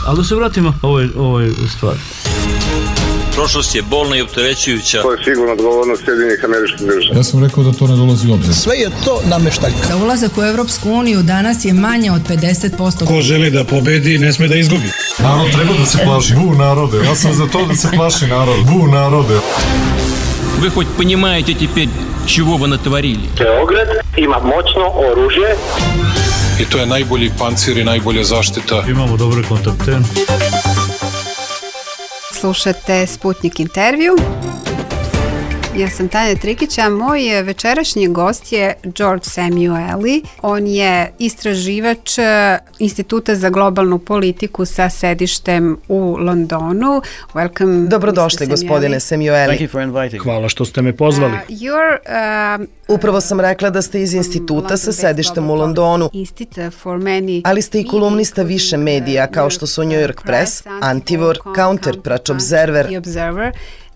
Ali da se vratimo ovoj stvari. Prošlost je bolna i opterećujuća. To je sigurno odgovornost Sjedinjenih Američkih Država. Ja sam rekao da to ne dolazi u obzir. Sve je to nameštaljka. Za ulazak u Evropsku uniju danas je manje od 50%. Ko želi da pobedi, ne sme da izgubi. Narod treba da se plaši. Narode. Ja sam za to da se plaši narod. Narode. Вы хоть понимаете теперь, чего вы натворили? Beograd ima moćno oružje. I to je najbolji pancir i najbolja zaštita. Imamo dobre kontakte. Slušate Sputnik intervju. Ja sam Tanja Trikića, moj večerašnji gost je George Samueli. On je istraživač Instituta za globalnu politiku sa sedištem u Londonu. Welcome, Dobrodošli, gospodine Samueli. Hvala što ste me pozvali. Upravo sam rekla da ste iz instituta sa sedištem u Londonu, ali ste i kolumnista više medija kao što su New York Press, Antivor, Counterpunch Observer,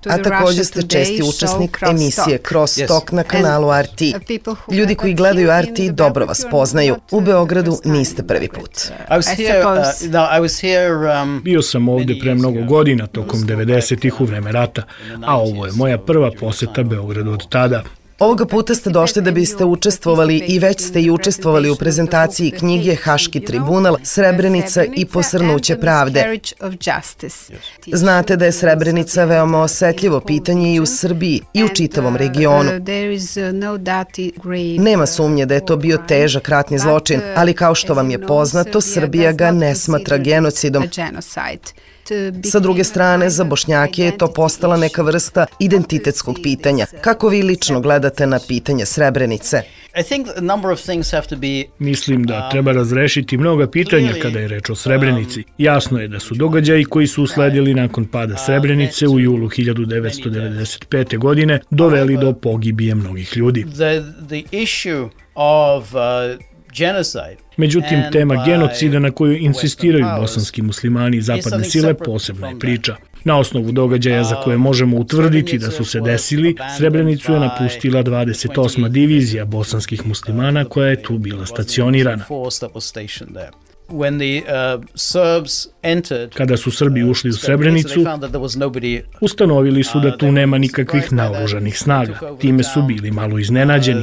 a također ste česti učesnik emisije Crosstalk na kanalu RT. Ljudi koji gledaju RT dobro vas poznaju. U Beogradu niste prvi put. Bio sam ovdje pre mnogo godina, tokom 90-ih u vreme rata, a ovo je moja prva poseta Beogradu od tada. Ovoga puta ste došli da biste učestvovali i već ste i učestvovali u prezentaciji knjige Haški tribunal, Srebrenica i posrnuće pravde. Znate da je Srebrenica veoma osetljivo pitanje i u Srbiji i u čitavom regionu. Nema sumnje da je to bio težak ratni zločin, ali kao što vam je poznato, Srbija ga ne smatra genocidom. Sa druge strane, za Bošnjake je to postala neka vrsta identitetskog pitanja. Kako vi lično gledate na pitanje Srebrenice? Mislim da treba razrešiti mnoga pitanja kada je reč o Srebrenici. Jasno je da su događaji koji su usledili nakon pada Srebrenice u julu 1995. godine doveli do pogibije mnogih ljudi. Međutim, tema genocida na koju insistiraju bosanski muslimani i zapadne sile posebna je priča. Na osnovu događaja za koje možemo utvrditi da su se desili, Srebrenicu je napustila 28. divizija bosanskih muslimana koja je tu bila stacionirana. Kada su Srbi ušli u Srebrenicu, ustanovili su da tu nema nikakvih naoružanih snaga. Time su bili malo iznenađeni.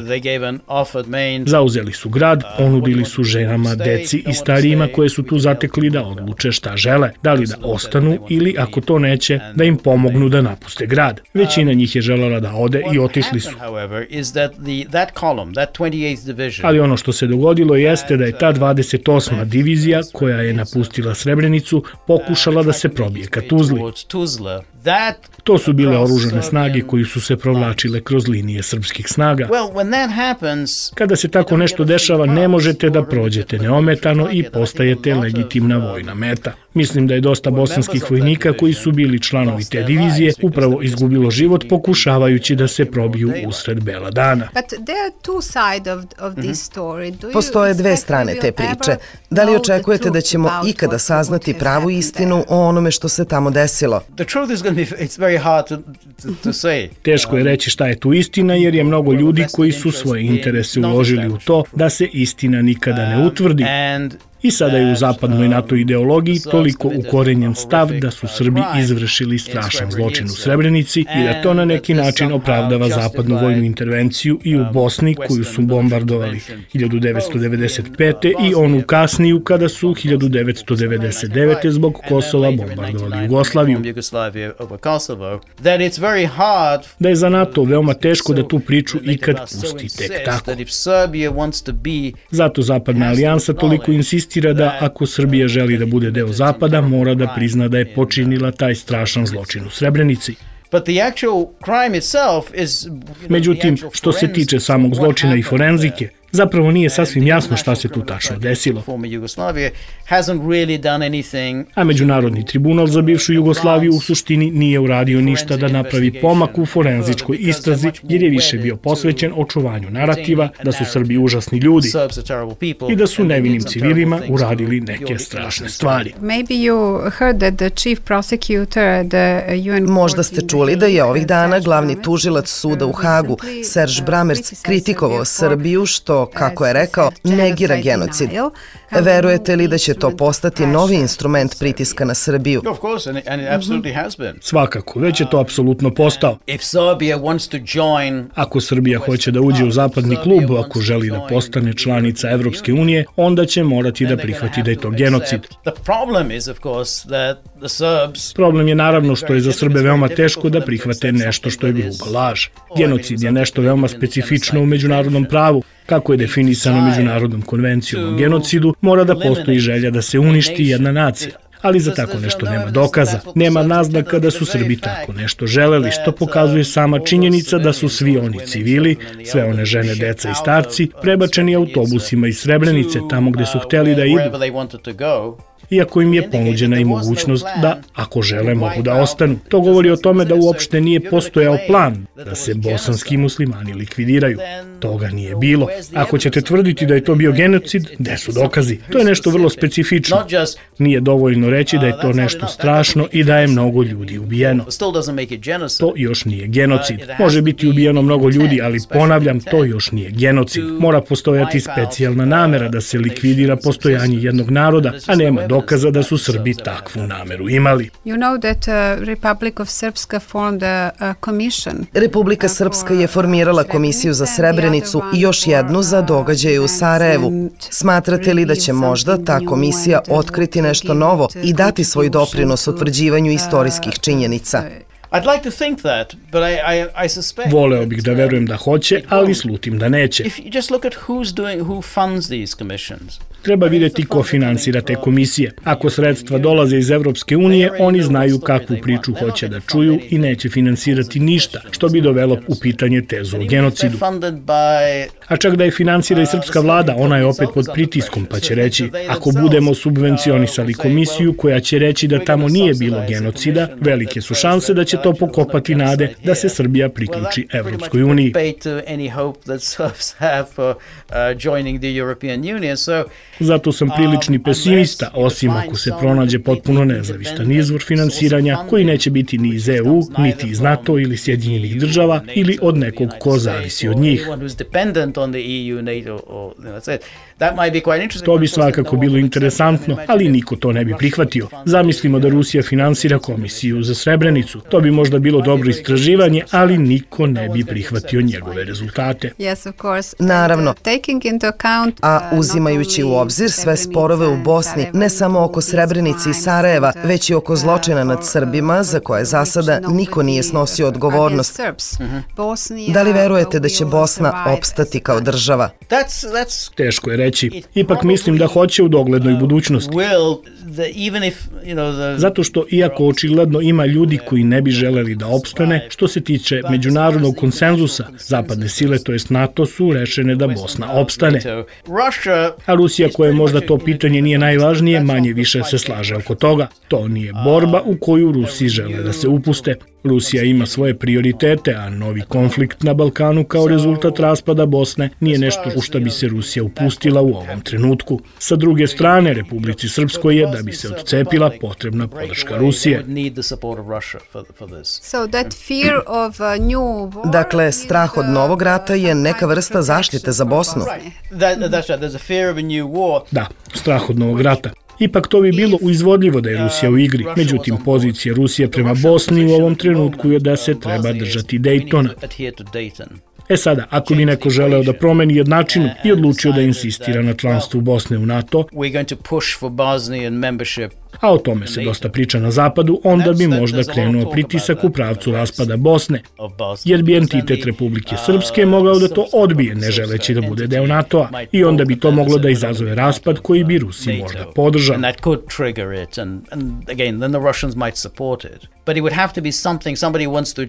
Zauzeli su grad, ponudili su ženama, deci i starijima koje su tu zatekli da odluče šta žele, da li da ostanu ili, ako to neće, da im pomognu da napuste grad. Većina njih je želela da ode i otišli su. Ali ono što se dogodilo jeste da je ta 28. divizija koja je napustila Srebrenicu pokušala da se probije ka Tuzli. To su bile oružane snage koji su se provlačile kroz linije srpskih snaga. Kada se tako nešto dešava, ne možete da prođete neometano i postajete legitimna vojna meta. Mislim da je dosta bosanskih vojnika koji su bili članovi te divizije upravo izgubilo život pokušavajući da se probiju usred bela dana. Postoje dve strane te priče. Da li očekujete da ćemo ikada saznati pravu istinu o onome što se tamo desilo? Teško je reći šta je tu istina jer je mnogo ljudi koji su svoje interese uložili u to da se istina nikada ne utvrdi. I sada je u zapadnoj NATO ideologiji toliko ukorenjen stav da su Srbi izvršili strašan zločin u Srebrenici i da to na neki način opravdava zapadnu vojnu intervenciju i u Bosni koju su bombardovali 1995. i onu kasniju kada su 1999. zbog Kosova bombardovali Jugoslaviju. Da je za NATO veoma teško da tu priču ikad pusti tek tako. Zato Zapadna alijansa toliko insistira da ako Srbija želi da bude deo Zapada, mora da prizna da je počinila taj strašan zločin u Srebrenici. Međutim, što se tiče samog zločina i forenzike, zapravo nije sasvim jasno šta se tu tačno desilo. A Međunarodni tribunal za bivšu Jugoslaviju u suštini nije uradio ništa da napravi pomak u forenzičkoj istrazi jer je više bio posvećen očuvanju narativa da su Srbi užasni ljudi i da su nevinim civilima uradili neke strašne stvari. Možda ste čuli da je ovih dana glavni tužilac suda u Hagu, Serge Bramerc, kritikovao Srbiju što što, kako je rekao, negira genocid. Verujete li da će to postati novi instrument pritiska na Srbiju? Svakako, već je to apsolutno postao. Ako Srbija hoće da uđe u zapadni klub, ako želi da postane članica Evropske unije, onda će morati da prihvati da je to genocid. Problem je naravno što je za Srbe veoma teško da prihvate nešto što je gruba laž. Genocid je nešto veoma specifično u međunarodnom pravu. Kako je definisano Međunarodnom konvencijom o genocidu, mora da postoji želja da se uništi jedna nacija. Ali za tako nešto nema dokaza. Nema naznaka da su Srbi tako nešto želeli, što pokazuje sama činjenica da su svi oni civili, sve one žene, deca i starci, prebačeni autobusima iz Srebrenice tamo gde su hteli da idu. Iako im je ponuđena i mogućnost da, ako žele, mogu da ostanu. To govori o tome da uopšte nije postojao plan da se bosanski muslimani likvidiraju. Toga nije bilo. Ako ćete tvrditi da je to bio genocid, gde su dokazi? To je nešto vrlo specifično. Nije dovoljno reći da je to nešto strašno i da je mnogo ljudi ubijeno. To još nije genocid. Može biti ubijeno mnogo ljudi, ali ponavljam, to još nije genocid. Mora postojati specijalna namera da se likvidira postojanje jednog naroda, a nema dokaza da su Srbi takvu nameru imali. Republika Srpska je formirala komisiju za Srebrenicu i još jednu za događaje u Sarajevu. Smatrate li da će možda ta komisija otkriti nešto novo i dati svoj doprinos utvrđivanju istorijskih činjenica? Voleo bih da verujem da hoće, ali slutim da neće. Treba vidjeti ko finansira te komisije. Ako sredstva dolaze iz Evropske unije, oni znaju kakvu priču hoće da čuju i neće finansirati ništa, što bi dovelo u pitanje tezu o genocidu. A čak da je finansira i srpska vlada, ona je opet pod pritiskom, pa će reći, ako budemo subvencionisali komisiju koja će reći da tamo nije bilo genocida, velike su šanse da će to pokopati nade da se Srbija priključi Evropskoj uniji. Zato sam prilični pesimista, osim ako se pronađe potpuno nezavistan izvor finansiranja koji neće biti ni iz EU, niti iz NATO ili Sjedinjenih država ili od nekog ko zavisi od njih. To bi svakako bilo interesantno, ali niko to ne bi prihvatio. Zamislimo da Rusija finansira komisiju za Srebrenicu. To bi možda bilo dobro istraživanje, ali niko ne bi prihvatio njegove rezultate. Naravno, a uzimajući u obzir sve sporove u Bosni, ne samo oko Srebrenice i Sarajeva, već i oko zločina nad Srbima, za koje za sada niko nije snosio odgovornost. Da li verujete da će Bosna opstati kao država? Teško je reći. Ipak mislim da hoće u doglednoj budućnosti. Zato što, iako očigledno ima ljudi koji ne bi želeli da opstane, što se tiče međunarodnog konsenzusa, zapadne sile, to jest NATO, su rešene da Bosna opstane. A Rusija, koja možda to pitanje nije najvažnije, manje više se slaže oko toga. To nije borba u koju Rusi žele da se upuste. Rusija ima svoje prioritete, a novi konflikt na Balkanu kao rezultat raspada Bosne nije nešto u što bi se Rusija upustila u ovom trenutku. Sa druge strane, Republici Srpskoj je, da bi se odcepila, potrebna podrška Rusije. Dakle, strah od novog rata je neka vrsta zaštite za Bosnu. Da, strah od novog rata. Ipak to bi bilo izvodljivo da je Rusija u igri. Međutim, pozicija Rusije prema Bosni u ovom trenutku je da se treba držati Dejtona. Sada, ako bi neko želeo da promeni jednačinu i odlučio da insistira na članstvu Bosne u NATO, a o tome se dosta priča na zapadu, onda bi možda krenuo pritisak u pravcu raspada Bosne, jer bi entitet Republike Srpske mogao da to odbije, ne želeći da bude deo NATO-a, i onda bi to moglo da izazove raspad koji bi Rusi možda podržao.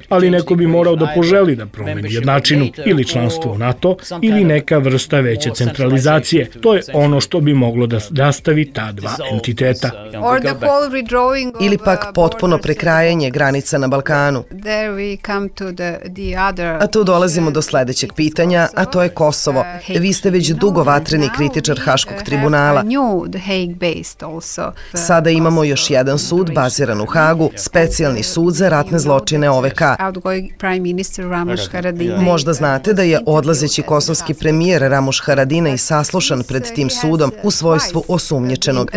Ali neko bi morao da poželi da promeni jednačinu, ili članstvo u NATO, ili neka vrsta veće centralizacije. To je ono što bi moglo da rastavi ta dva entiteta. Ili pak potpuno prekrajanje granica na Balkanu. A tu dolazimo do sledećeg pitanja, a to je Kosovo. Vi ste već dugo vatreni kritičar Haškog tribunala. Sada imamo još jedan sud baziran u Hagu, specijalni specijalni sud za ratne zločine OVK. Možda znate da je odlazeći kosovski premijer Ramuš Haradinaj saslušan pred tim sudom u svojstvu osumnjičenog.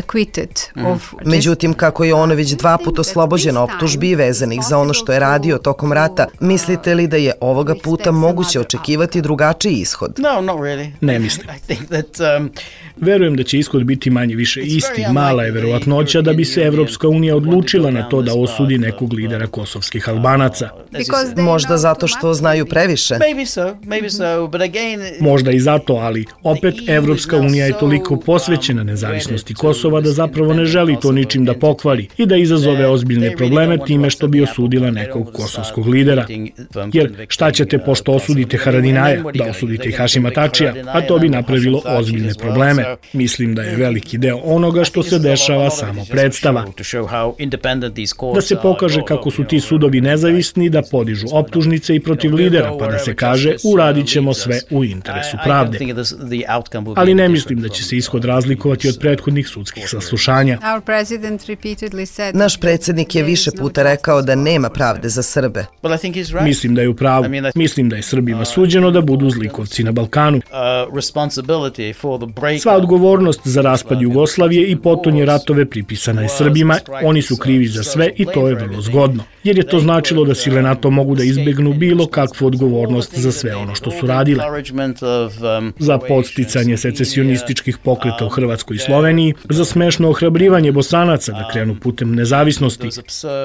Međutim, kako je on već 2 puta oslobođen optužbi vezanih za ono što je radio tokom rata, mislite li da je ovoga puta moguće očekivati drugačiji ishod? Ne mislim. Verujem da će ishod biti manje više isti. Mala je verovatnoća da bi se Evropska unija odlučila na to da osudi nekog lidera kosovskih Albanaca. Možda zato što znaju previše. Možda i zato, ali opet Evropska unija je toliko posvećena nezavisnosti Kosova da zapravo ne želi to ničim da pokvari i da izazove ozbiljne probleme time što bi osudila nekog kosovskog lidera. Jer šta ćete pošto osudite Haradinaja, da osudite i Hašima Tačija, a to bi napravilo ozbiljne probleme. Mislim da je veliki deo onoga što se dešava samo predstava. Da se pokaže kako su ti sudovi nezavisni, da podižu optužnice i protiv lidera, pa da se kaže uradit ćemo sve u interesu pravde. Ali ne mislim da će se ishod razlikovati od prethodnih sudskih saslušanja. Naš predsjednik je više puta rekao da nema pravde za Srbe. Mislim da je u pravu. Mislim da je Srbima suđeno da budu zlikovci na Balkanu. Sva odgovornost za raspad Jugoslavije i potonje ratove pripisana je Srbima, oni su krivi za sve i to je vrlo zgodno. Jer je to značilo da sile NATO mogu da izbegnu bilo kakvu odgovornost za sve ono što su radile. Za podsticanje secesionističkih pokreta u Hrvatskoj i Sloveniji, za smešno ohrabrivanje Bosanaca da krenu putem nezavisnosti,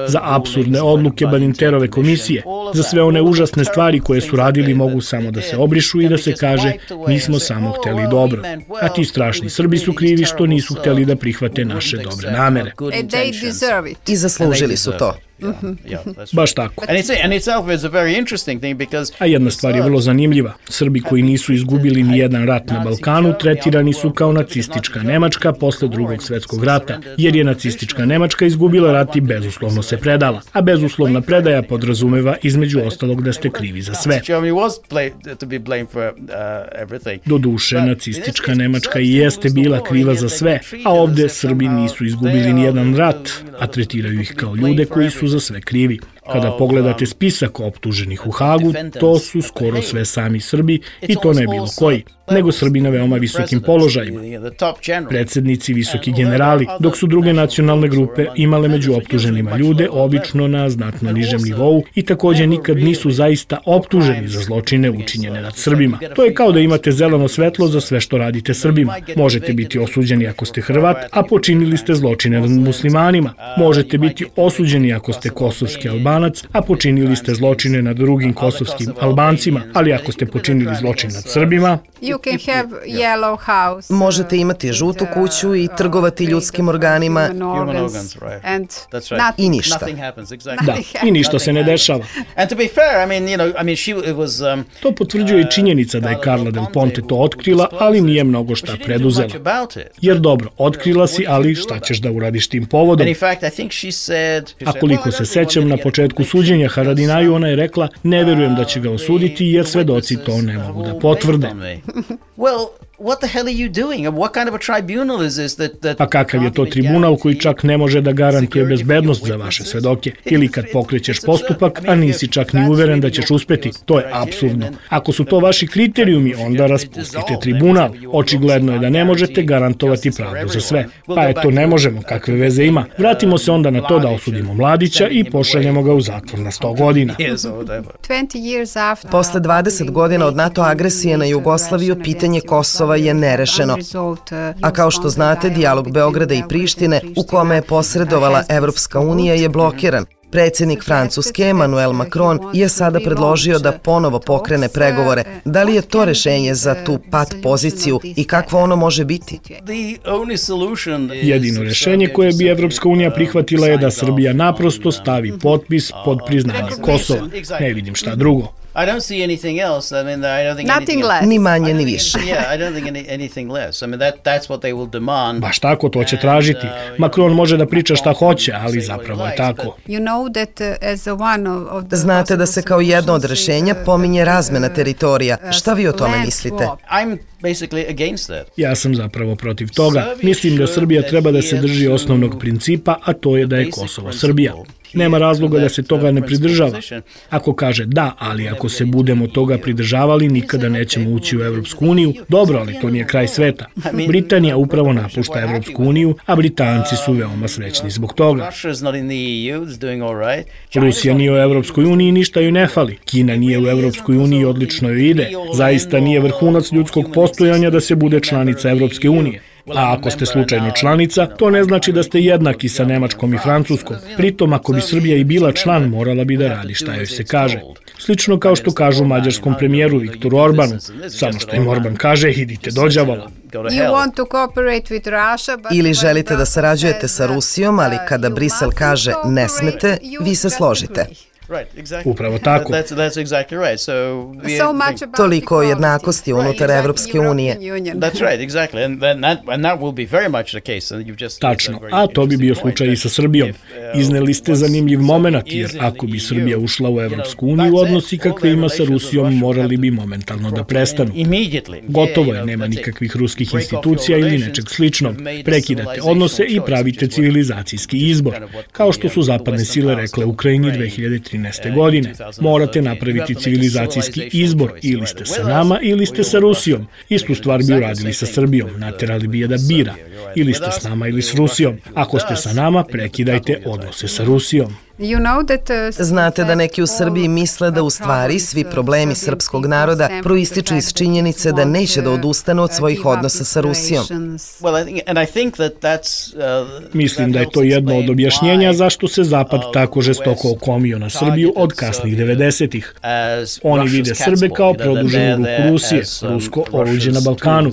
za apsurdne odluke Badinterove komisije, za sve one užasne stvari koje su radili mogu samo da se obrišu i da se kaže mi smo samo hteli dobro. A ti strašni Srbi su krivi što nisu hteli da prihvate naše dobre namere. I zaslužili su to. Baš tako. A jedna stvar je vrlo zanimljiva. Srbi koji nisu izgubili ni jedan rat na Balkanu tretirani su kao nacistička Nemačka posle Drugog svjetskog rata, jer je nacistička Nemačka izgubila rat i bezuslovno se predala. A bezuslovna predaja podrazumeva između ostalog da ste krivi za sve. Doduše, nacistička Nemačka i jeste bila kriva za sve, a ovde Srbi nisu izgubili ni jedan rat, a tretiraju ih kao ljude koji su za sve krivi. Kada pogledate spisak optuženih u Hagu, to su skoro sve sami Srbi i to ne bilo koji, nego Srbi na veoma visokim položajima. Predsjednici, visoki generali, dok su druge nacionalne grupe imale među optuženima ljude obično na znatno nižem nivou i također nikad nisu zaista optuženi za zločine učinjene nad Srbima. To je kao da imate zeleno svetlo za sve što radite Srbima. Možete biti osuđeni ako ste Hrvat, a počinili ste zločine nad muslimanima. Možete biti osuđeni ako ste kosovski Albanac, a počinili ste zločine nad drugim kosovskim Albancima, ali ako ste počinili zločin nad Srbima, možete imati žutu kuću i trgovati ljudskim organima i ništa. Da, i ništa se ne dešava. To potvrđuje i činjenica da je Carla Del Ponte to otkrila, ali nije mnogo šta preduzela. Jer dobro, otkrila si, ali šta ćeš da uradiš tim povodom? A koliko se sećam, na početku suđenja Haradinaju ona je rekla, ne verujem da će ga osuditi jer svedoci to ne mogu da potvrde. Pa kakav je to tribunal koji čak ne može da garantuje bezbednost za vaše svedoke? Ili kad pokrećeš postupak, a nisi čak ni uveren da ćeš uspeti? To je apsurdno. Ako su to vaši kriterijumi, onda raspustite tribunal. Očigledno je da ne možete garantovati pravdu za sve. Pa eto, ne možemo, kakve veze ima. Vratimo se onda na to da osudimo Mladića i pošaljemo ga u zatvor na 100 godina. Posle 20 godina od NATO agresije na Jugoslaviju, pitanje Kosova je nerešeno. A kao što znate, dijalog Beograda i Prištine, u kome je posredovala Evropska unija, je blokiran. Predsjednik Francuske, Emmanuel Macron, je sada predložio da ponovo pokrene pregovore. Da li je to rešenje za tu pat poziciju i kakvo ono može biti? Jedino rešenje koje bi Evropska unija prihvatila je da Srbija naprosto stavi potpis pod priznanje Kosova. Ne vidim šta drugo. Ni manje, ni više. Baš tako, to će tražiti. Macron može da priča šta hoće, ali zapravo je tako. Znate da se kao jedno od rešenja pominje razmena teritorija. Šta vi o tome mislite? Ja sam zapravo protiv toga. Mislim da Srbija treba da se drži osnovnog principa, a to je da je Kosovo Srbija. Nema razloga da se toga ne pridržava. Ako kaže da, ali ako se budemo toga pridržavali, nikada nećemo ući u Evropsku uniju. Dobro, ali to nije kraj sveta. Britanija upravo napušta Evropsku uniju, a Britanci su veoma srećni zbog toga. Rusija nije u Evropskoj uniji, ništa joj ne fali. Kina nije u Evropskoj uniji, odlično joj ide. Zaista nije vrhunac ljudskog postojanja da se bude članica Evropske unije. A ako ste slučajno članica, to ne znači da ste jednaki sa Nemačkom i Francuskom. Pritom, ako bi Srbija i bila član, morala bi da radi šta joj se kaže. Slično kao što kažu mađarskom premijeru Viktoru Orbanu. Samo što im Orban kaže, idite do đavola. Ili želite da sarađujete sa Rusijom, ali kada Brisel kaže ne smete, vi se složite. Upravo tako. Toliko o jednakosti unutar Evropske unije. Tačno, a to bi bio slučaj i sa Srbijom. Izneli ste zanimljiv moment, jer ako bi Srbija ušla u Evropsku uniju, odnosi kakve ima sa Rusijom morali bi momentalno da prestanu. Gotovo je, nema nikakvih ruskih institucija ili nečeg sličnog. Prekidate odnose i pravite civilizacijski izbor, kao što su zapadne sile rekle Ukrajini 2013. godine. Morate napraviti civilizacijski izbor, ili ste sa nama ili ste sa Rusijom. Istu stvar bi uradili sa Srbijom, naterali bi je da bira. Ili ste s nama ili s Rusijom. Ako ste sa nama, prekidajte odnose sa Rusijom. Znate da neki u Srbiji misle da u stvari svi problemi srpskog naroda proističu iz činjenice da neće da odustanu od svojih odnosa sa Rusijom. Mislim da je to jedno od objašnjenja zašto se Zapad tako žestoko okomio na Srbiju od kasnih 90-ih. Oni vide Srbe kao produženu ruku Rusije, rusko oruđe na Balkanu.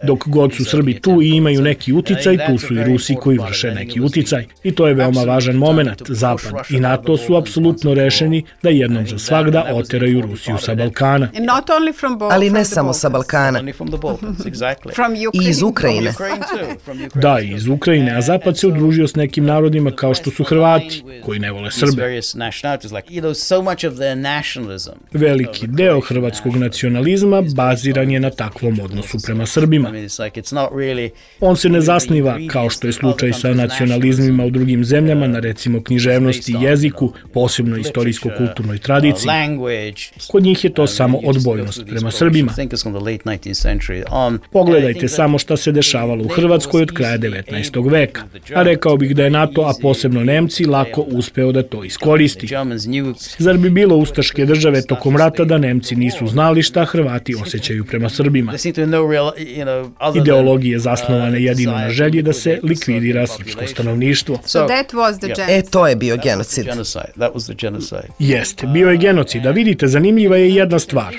Dok god su Srbi tu i imaju neki uticaj, tu su i Rusi koji vrše neki uticaj. I to je veoma važan moment. Zapad i NATO su apsolutno rešeni da jednom za svagda oteraju Rusiju sa Balkana. Ali ne samo sa Balkana. I iz Ukrajine. Da, i iz Ukrajine, a Zapad se udružio s nekim narodima kao što su Hrvati, koji ne vole Srbe. Veliki deo hrvatskog nacionalizma baziran je na takvom odnosu prema Srbima. On se ne zasniva, kao što je slučaj sa nacionalizmima u drugim zemljama, na recimo književnosti i jeziku, posebno istorijsko-kulturnoj tradiciji. Kod njih je to samo odbojnost prema Srbima. Pogledajte samo šta se dešavalo u Hrvatskoj od kraja 19. veka. A rekao bih da je NATO, a posebno Nemci, lako uspeo da to iskoristi. Zar bi bilo ustaške države tokom rata da Nemci nisu znali šta Hrvati osjećaju prema Srbima? Ideologije zasnovane jedino na želji da se likvidira srpsko stanovništvo. To je bio genocid. Jeste, bio je genocid. A vidite, zanimljiva je jedna stvar.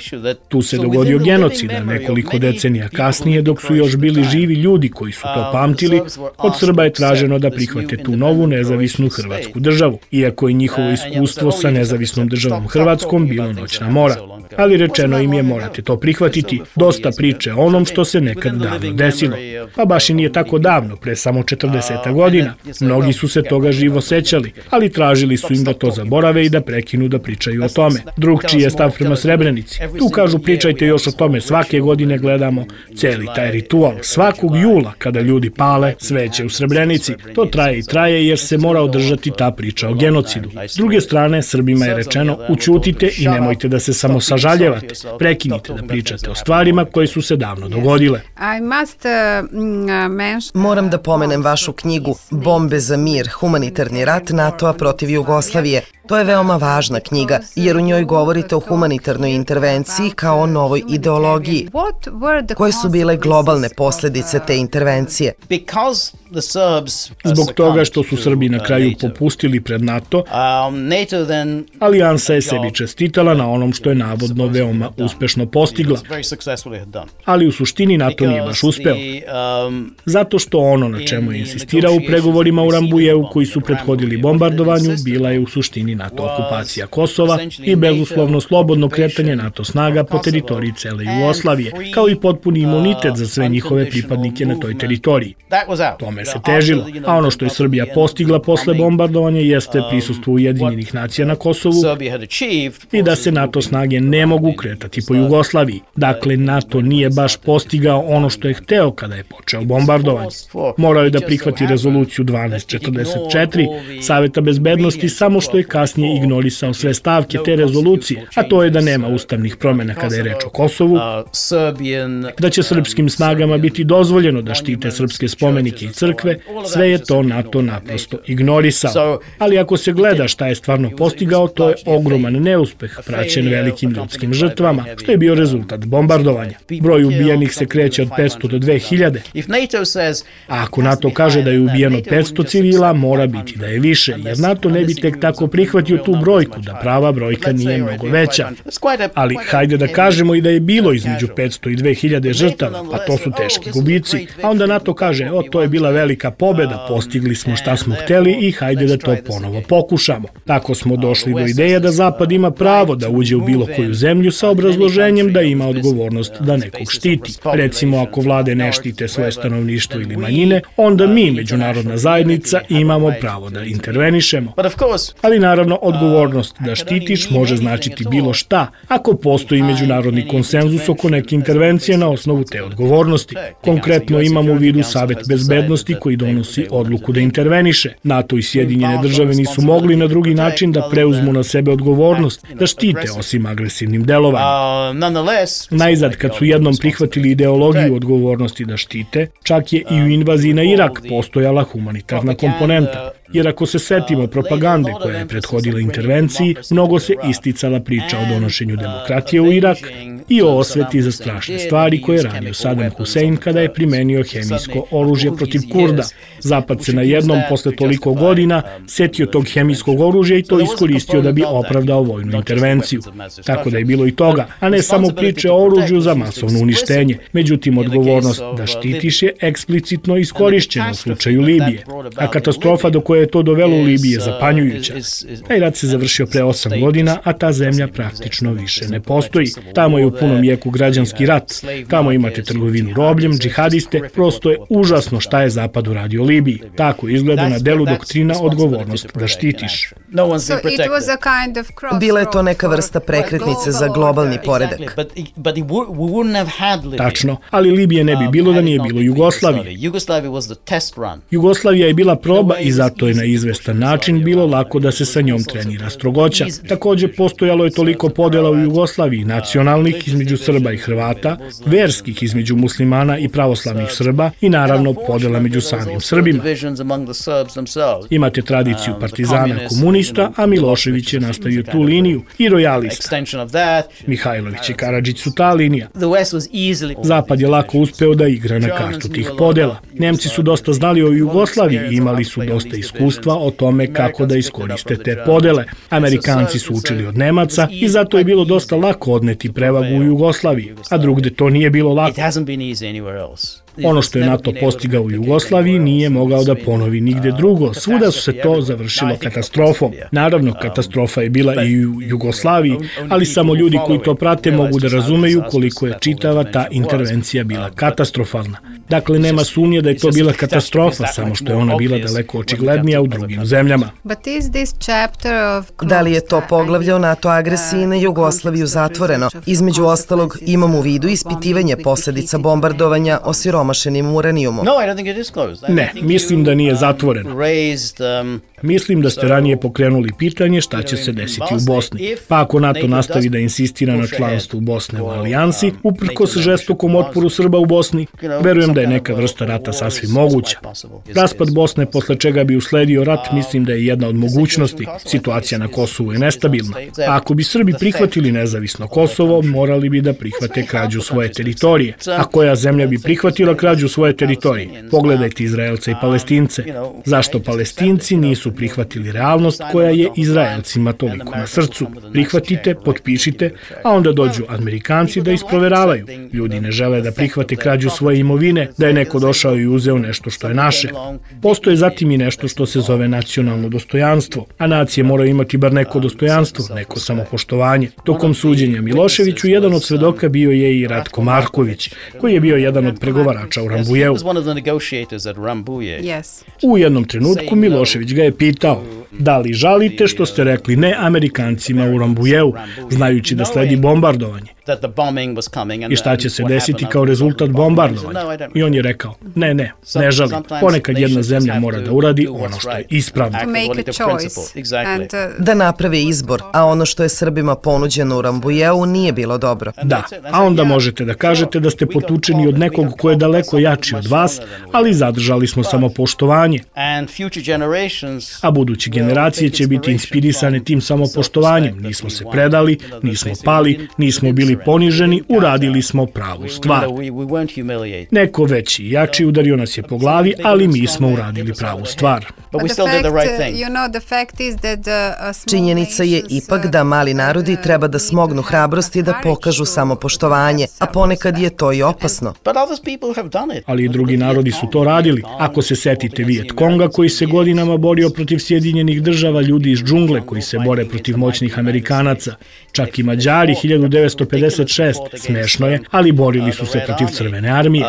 Tu se dogodio genocid, a nekoliko decenija kasnije, dok su još bili živi ljudi koji su to pamtili, od Srba je traženo da prihvate tu novu nezavisnu Hrvatsku državu. Iako je njihovo iskustvo sa nezavisnom državom Hrvatskom bilo noćna mora. Ali rečeno im je morate to prihvatiti. Dosta priče o onom što se nekad davno desilo. Pa baš i nije tako davno, pre samo 40 godina. Mnogi su se toga živo sećali, ali tražili su im da to zaborave i da prekinu da pričaju o tome. Drugčiji je stav prema Srebrenici. Tu kažu pričajte još o tome, svake godine gledamo celi taj ritual. Svakog jula, kada ljudi pale sveće u Srebrenici, to traje i traje jer se mora održati ta priča o genocidu. S druge strane, Srbima je rečeno ućutite i nemojte da se samo sažaljevate. Prekinite da pričate o stvarima koje su se davno dogodile. Moram da pomenem vašu knjigu Bombe za mir, humanitarni rat NATO-a protiv Jugoslavije. To je veoma važna knjiga, jer u njoj govorite o humanitarnoj intervenciji kao o novoj ideologiji. Koje su bile globalne posledice te intervencije? Zbog toga što su Srbi na kraju popustili pred NATO, Alijansa je sebi čestitala na onom što je navodno veoma uspešno postigla. Ali u suštini NATO nije baš uspeo. Zato što ono na čemu je insistirao u pregovorima u Rambujeu koji su prethodili bombardovanju bila je u suštini NATO okupacija Kosova i bezuslovno slobodno kretanje NATO snaga po teritoriji cele Jugoslavije, kao i potpuni imunitet za sve njihove pripadnike na toj teritoriji. Tome se težilo, a ono što je Srbija postigla posle bombardovanja jeste prisustvo Ujedinjenih nacija na Kosovu i da se NATO snage ne mogu kretati po Jugoslaviji. Dakle, NATO nije baš postigao ono što je hteo kada je počeo bombardovanje. Morao je da prihvati rezoluciju 1244 Saveta bezbednosti, samo što je kasnije ignorisao sve stavke te rezolucije, a to je da nema ustavnih promjena kada je reč o Kosovu, da će srpskim snagama biti dozvoljeno da štite srpske spomenike i crkve, sve je to NATO naprosto ignorisao. Ali ako se gleda šta je stvarno postigao, to je ogroman neuspeh praćen velikim ljudskim žrtvama, što je bio rezultat bombardovanja. Broj ubijenih se kreće od 500 do 2000. A ako NATO kaže da je ubijeno 500 civila, mora biti da je više, jer NATO ne bi tek tako prihvatio tu brojku, da prava brojka nije mnogo veća. Ali hajde da kažemo i da je bilo između 500 i 2000 žrtava, a to su teški gubici. A onda NATO kaže, to je bila velika pobeda, postigli smo šta smo hteli i hajde da to ponovo pokušamo. Tako smo došli do ideje da Zapad ima pravo da uđe u bilo koju zemlju sa obrazloženjem da ima odgovornost da nekog štiti. Recimo, ako vlade ne štite svoje stanovništvo ili manjine, onda mi, međunarodna zajednica, imamo pravo da intervenišemo. Ali naravno, odgovornost da štitiš može značiti bilo šta, ako postoji međunarodni konsenzus oko neke intervencije na osnovu te odgovornosti. Konkretno imamo u vidu Savet bezbednosti koji donosi odluku da interveniše. NATO i Sjedinjene države nisu mogli na drugi način da preuzmu na sebe odgovornost, da štite osim agresivnim delovanjem. Najzad, kad su jednom prihvatili ideologiju odgovornosti da štite, čak je i u invaziji na Irak postojala humanitarna komponenta. Jer ako se setimo propagande koja je prethodila intervenciji, mnogo se isticala priča o donošenju demokratije u Irak i o osveti za strašne stvari koje je radio Saddam Hussein kada je primenio hemijsko oružje protiv Kurda. Zapad se na jednom, posle toliko godina, setio tog hemijskog oružja i to iskoristio da bi opravdao vojnu intervenciju. Tako da je bilo i toga, a ne samo priče o oružju za masovno uništenje. Međutim, odgovornost da štitiš je eksplicitno iskorišćena u slučaju Libije. A katastrofa do koje je to dovelo u Libiji je zapanjujuća. Taj rat se završio pre 8 godina, a ta zemlja praktično više ne postoji. Tamo je u punom jeku građanski rat. Tamo imate trgovinu robljem, džihadiste. Prosto je užasno šta je Zapad uradio Libiji. Tako izgleda na delu doktrina odgovornost da štitiš. Bila je to neka vrsta prekretnice za globalni poredak. Tačno, ali Libije ne bi bilo da nije bilo Jugoslavije. Jugoslavija je bila proba i zato je na izvestan način bilo lako da se sa njom trenira strogoća. Također postojalo je toliko podela u Jugoslaviji, nacionalnih između Srba i Hrvata, verskih između muslimana i pravoslavnih Srba i naravno podela među samim Srbima. Imate tradiciju partizana komunista, a Milošević je nastavio tu liniju i rojalista. Mihajlović i Karadžić su ta linija. Zapad je lako uspeo da igra na kartu tih podela. Nemci su dosta znali o Jugoslaviji i imali su dosta iskustva o tome kako da iskoriste te podele. Amerikanci su učili od Nemaca i zato je bilo dosta lako odneti prevagu u Jugoslaviji, a drugde to nije bilo lako. Ono što je NATO postigao u Jugoslaviji nije mogao da ponovi nigde drugo. Svuda su se to završilo katastrofom. Naravno, katastrofa je bila i u Jugoslaviji, ali samo ljudi koji to prate mogu da razumeju koliko je čitava ta intervencija bila katastrofalna. Dakle, nema sumnje da je to bila katastrofa, samo što je ona bila daleko očiglednija u drugim zemljama. Da li je to poglavlje o NATO agresiji na Jugoslaviju zatvoreno? Između ostalog, imamo u vidu ispitivanje posledica bombardovanja osiromašenim uranijumom. Ne, mislim da nije zatvoreno. Mislim da ste ranije pokrenuli pitanje šta će se desiti u Bosni. Pa ako NATO nastavi da insistira na članstvu Bosne u alijansi, uprkos žestokom otporu Srba u Bosni, verujem da je neka vrsta rata sasvim moguća. Raspad Bosne, posle čega bi usledio rat, mislim da je jedna od mogućnosti. Situacija na Kosovu je nestabilna. A ako bi Srbi prihvatili nezavisno Kosovo, morali bi da prihvate krađu svoje teritorije. A koja zemlja bi prihvatila krađu svoje teritorije? Pogledajte Izraelce i Palestince. Zašto Palestinci nisu nisu prihvatili realnost koja je Izraelcima toliko na srcu. Prihvatite, potpišite, a onda dođu Amerikanci da isproveravaju. Ljudi ne žele da prihvate krađu svoje imovine, da je neko došao i uzeo nešto što je naše. Postoje zatim i nešto što se zove nacionalno dostojanstvo, a nacije moraju imati bar neko dostojanstvo, neko samopoštovanje. Tokom suđenja Miloševiću jedan od svedoka bio je i Ratko Marković, koji je bio jedan od pregovarača u Rambujeu. U jednom trenutku Milošević ga je pitao: da li žalite što ste rekli ne Amerikancima u Rambujeu, znajući da sledi bombardovanje? I šta će se desiti kao rezultat bombardovanja? I on je rekao: ne žalim. Ponekad jedna zemlja mora da uradi ono što je ispravno. Da naprave izbor, a ono što je Srbima ponuđeno u Rambujeu nije bilo dobro. Da, a onda možete da kažete da ste potučeni od nekog ko je daleko jači od vas, ali zadržali smo samopoštovanje. A buduće generacije će biti inspirisane tim samopoštovanjem. Nismo se predali, nismo pali, nismo bili poniženi, uradili smo pravu stvar. Neko veći i jači udario nas je po glavi, ali mi smo uradili pravu stvar. Činjenica je ipak da mali narodi treba da smognu hrabrosti da pokažu samopoštovanje, a ponekad je to i opasno. Ali i drugi narodi su to radili. Ako se setite Vijet Konga koji se godinama borio protiv Sjedinjenih država, ljudi iz džungle koji se bore protiv moćnih Amerikanaca, čak i Mađari 1956, smešno je, ali borili su se protiv Crvene armije.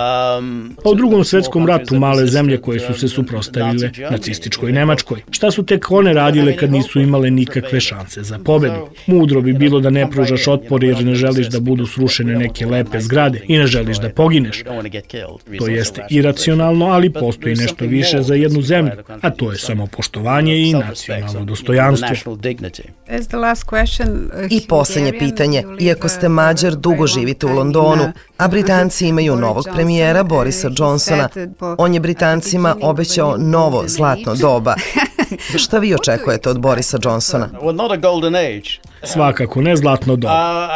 U Drugom svetskom ratu male zemlje koje su se suprotstavile nacističkoj Nemačkoj. Šta su tek one radile kad nisu imale nikakve šanse za pobedu? Mudro bi bilo da ne pružaš otpor jer ne želiš da budu srušene neke lepe zgrade i ne želiš da pogineš. To jeste iracionalno, ali postoji nešto više za jednu zemlju, a to je samopoštovanje i nacionalno dostojanstvo. I poslednje pitanje. Iako ste Mađar, dugo živite u Londonu, a Britanci imaju novog premijera Borisa Johnsona. On je Britancima obećao novo zlatno doba. Šta vi očekujete od Borisa Johnsona? Svakako ne zlatno doba.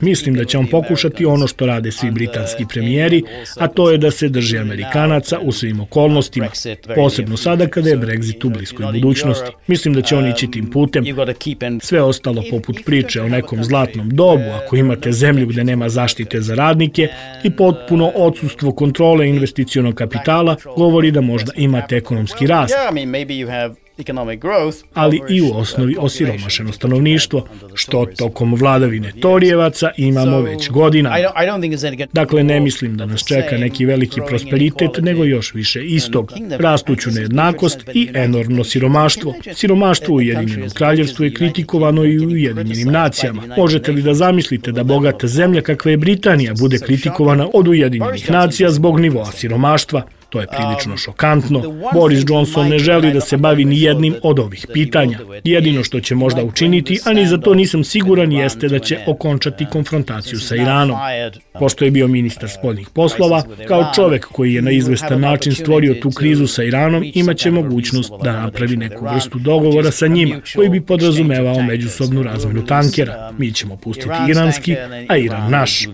Mislim da će on pokušati ono što rade svi britanski premijeri, a to je da se drži Amerikanaca u svim okolnostima, posebno sada kada je Brexit u bliskoj budućnosti. Mislim da će on ići tim putem. Sve ostalo poput priče o nekom zlatnom dobu, ako imate zemlju gde nema zaštite za radnike i potpuno odsustvo kontrole investicionog kapitala, govori da možda imate ekonomski rast, ali i u osnovi osiromašeno stanovništvo, što tokom vladavine Torijevaca imamo već godina. Dakle, ne mislim da nas čeka neki veliki prosperitet, nego još više istog, rastuću nejednakost i enormno siromaštvo. Siromaštvo u Ujedinjenom kraljevstvu je kritikovano i u Ujedinjenim nacijama. Možete li da zamislite da bogata zemlja kakva je Britanija bude kritikovana od Ujedinjenih nacija zbog nivoa siromaštva? To je prilično šokantno. Boris Johnson ne želi da se bavi ni jednim od ovih pitanja. Jedino što će možda učiniti, a ni za to nisam siguran, jeste da će okončati konfrontaciju sa Iranom. Pošto je bio ministar spoljnih poslova, kao čovek koji je na izvestan način stvorio tu krizu sa Iranom, imaće mogućnost da napravi neku vrstu dogovora sa njima, koji bi podrazumevao međusobnu razmenu tankera. Mi ćemo pustiti iranski, a Iran naš.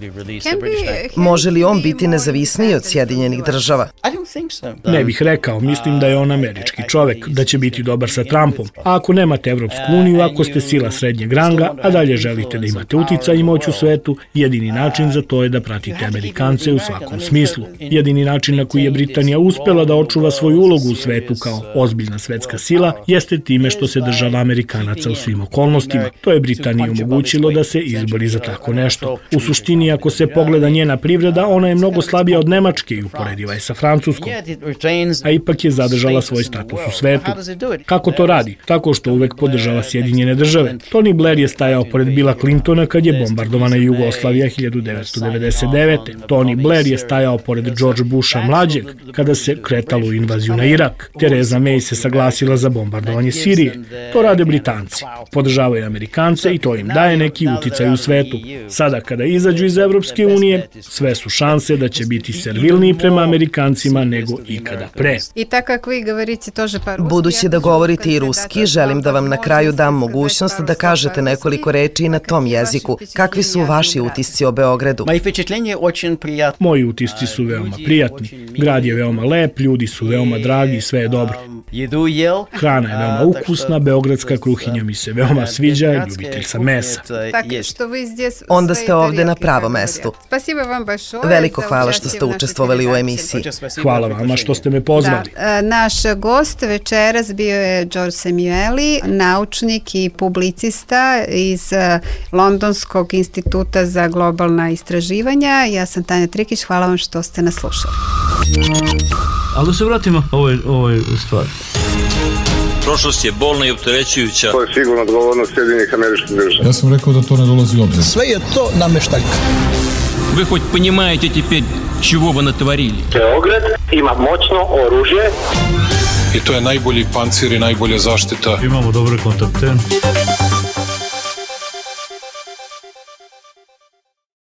Može li on biti nezavisniji od Sjedinjenih država? Ne bih rekao, mislim da je on američki čovek, da će biti dobar sa Trumpom. A ako nemate Evropsku uniju, ako ste sila srednjeg ranga, a dalje želite da imate uticaj i moć u svetu, jedini način za to je da pratite Amerikance u svakom smislu. Jedini način na koji je Britanija uspela da očuva svoju ulogu u svetu kao ozbiljna svetska sila jeste time što se država Amerikanaca u svim okolnostima. To je Britaniji omogućilo da se izbori za tako nešto. U suštini, ako se pogleda njena privreda, ona je mnogo slabija od Nemačke i uporediva je sa Francuskom, a ipak je zadržala svoj status u svetu. Kako to radi? Tako što uvek podržava Sjedinjene države. Tony Blair je stajao pored Billa Clintona kad je bombardovana Jugoslavija 1999. Tony Blair je stajao pored George Busha mlađeg kada se kretalo u invaziju na Irak. Theresa May se saglasila za bombardovanje Sirije. To rade Britanci. Podržavaju Amerikance i to im daje neki uticaj u svetu. Sada kada izađu iz Evropske unije, sve su šanse da će biti servilniji prema Amerikancima ljudima nego ikada pre. Budući da govorite i ruski, želim da vam na kraju dam mogućnost da kažete nekoliko reči na tom jeziku. Kakvi su vaši utisci o Beogradu? Moji utisci su veoma prijatni. Grad je veoma lep, ljudi su veoma dragi, sve je dobro. Hrana je veoma ukusna, beogradska kruhinja mi se veoma sviđa, ljubitelj sam mesa. Onda ste ovde na pravom mestu. Veliko hvala što ste učestvovali u emisiji. Hvala vama što ste me pozvali. Naš gost večeras bio je George Samueli, naučnik i publicista iz Londonskog instituta za globalna istraživanja. Ja sam Tanja Trikić, hvala vam što ste nas slušali. Ali da se vratimo ovoj stvari. Prošlost je bolna i opterećujuća. To je sigurno odgovornost Sjedinjenih Američkih Država. Ja sam rekao da to ne dolazi u obzir. Sve je to nameštaljka. Вы хоть понимаете теперь, чего вы натворили? Beograd ima moćno oružje. I to je najbolji pancir i najbolja zaštita. Imamo dobre kontakte.